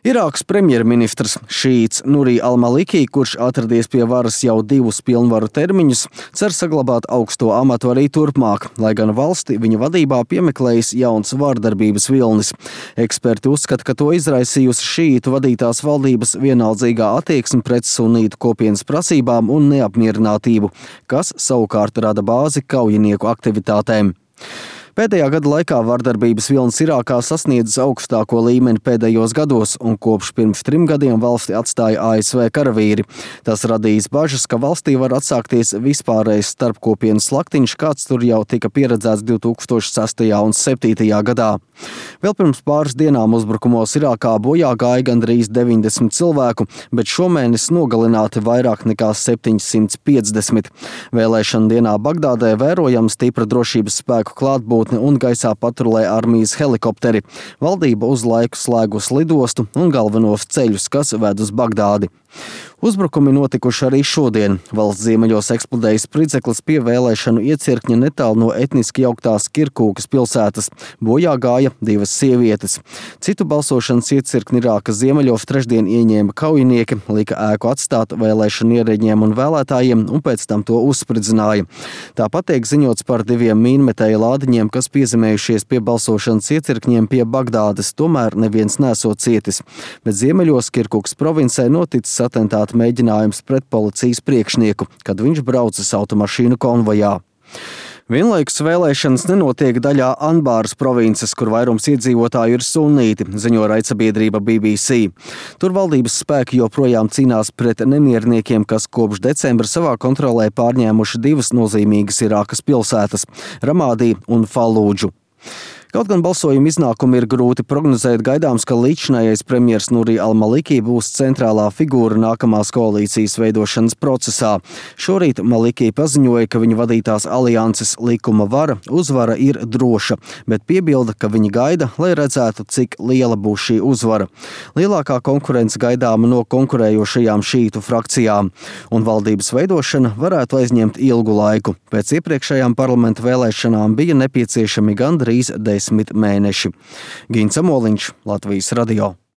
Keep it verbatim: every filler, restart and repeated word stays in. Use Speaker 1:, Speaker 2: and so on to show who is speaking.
Speaker 1: Irākas premjerministrs šīts Nurī al-Maliki, kurš atradies pie varas jau divus pilnvaru termiņus, cer saglabāt augsto amatu arī turpmāk, lai gan valsti viņa vadībā piemeklējis jauns vārdarbības vilnis. Eksperti uzskata, ka to izraisījusi šītu vadītās valdības vienaldzīgā attieksme pret sunītu kopienas prasībām un neapmierinātību, kas savukārt rada bāzi kaujinieku aktivitātēm. Pēdējā gada laikā vardarbības vilnis Irākā sasniedzis augstāko līmeni pēdējos gados, un kopš pirms trim gadiem valsti atstāja A S V karavīri. Tas radījis bažas, ka valstī var atsākties vispārējais starpkopienas slaktiņš, kāds tur jau tika pieredzēts divi tūkstoši sestajā un septītajā gadā. Vēl pirms pāris dienām uzbrukumos Irākā bojā gāja gandrīz deviņdesmit cilvēku, bet šomēnes nogalināti vairāk nekā septiņsimt piecdesmit. Vēlēšana dienā Bagdādē vērojama stipra drošības spēku klātbūtne un gaisā patrulē armijas helikopteri. Valdība uz laiku slēgus lidostu un galvenos ceļus, kas ved uz Bagdādi. Uzbrukumi notikuši arī šodien. Valsts ziemeļos eksplodējis spridzeklis pie vēlēšanu iecirkņa netālu no etniski jauktās Kirkūkas pilsētas. Bojā gāja divas sievietes. Citu balsošanas iecirkni Irākas ziemeļos trešdien ieņēma kaujinieki, lika ēku atstāt vēlēšanu ierēģiem un vēlētājiem un pēc tam to uzspridzināja. Tāpat tiek ziņots par diviem mīnmetēja lādiņiem, kas piezemējušies pie balsošanas iecirkņiem pie Bagdādes, tomēr neviens nesot cietis. Bet ziemeļos Kirkūkas provincē noticis atentāta mēģinājums pret policijas priekšnieku, kad viņš braucis automašīnu konvojā. Vienlaikus vēlēšanas nenotiek daļā Anbāras provinces, kur vairums iedzīvotāju ir sunnīti, ziņo raidsabiedrība B B C. Tur valdības spēki joprojām cīnās pret nemierniekiem, kas kopš decembra savā kontrolē pārņēmuši divas nozīmīgas Irākas pilsētas – Ramādī un Falūdžu. Kaut gan balsojuma iznākumi ir grūti prognozēt, gaidāms, ka līdzinājais premjers Nurī al-Maliki būs centrālā figūra nākamās koalīcijas veidošanas procesā. Šorīt Maliki paziņoja, ka viņa vadītās alianses likuma vara uzvara ir droša, bet piebilda, ka viņi gaida, lai redzētu, cik liela būs šī uzvara. Lielākā konkurence gaidāma no konkurējošajām šītu frakcijām, un valdības veidošana varētu aizņemt ilgu laiku. Pēc iepriekšējām parlamenta vēlēšanām bija nepieciešami gandrīz desmit mēneši. Gins Amoliņš, Latvijas radio.